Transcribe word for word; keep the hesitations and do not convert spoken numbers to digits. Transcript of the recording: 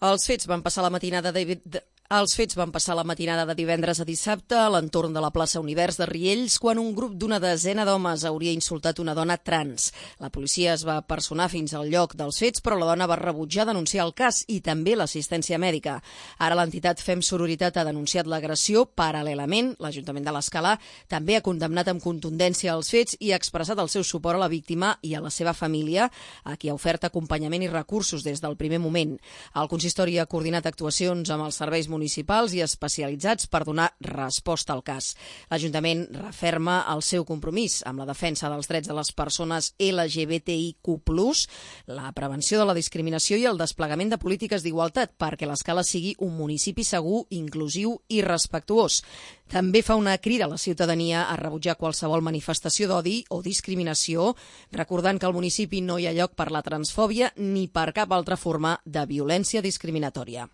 Els fets van passar la matinada de... Els fets van passar la matinada de divendres a dissabte a l'entorn de la plaça Univers de Riells, quan un grup d'una desena d'homes hauria insultat una dona trans. La policia es va personar fins al lloc dels fets, però la dona va rebutjar denunciar el cas i també l'assistència mèdica. Ara l'entitat Fem Sororitat ha denunciat l'agressió. Paral·lelament, l'Ajuntament de l'Escala també ha condemnat amb contundència els fets i ha expressat el seu suport a la víctima i a la seva família, a qui ha ofert acompanyament i recursos des del primer moment. El consistori ha coordinat actuacions amb els serveis municipals i especialitzats per donar resposta al cas. L'Ajuntament referma el seu compromís amb la defensa dels drets de les persones L G B T I Q plus, la prevenció de la discriminació i el desplegament de polítiques d'igualtat perquè l'Escala sigui un municipi segur, inclusiu i respectuós. També fa una crida a la ciutadania a rebutjar qualsevol manifestació d'odi o discriminació, recordant que al municipi no hi ha lloc per la transfòbia ni per cap altra forma de violència discriminatòria.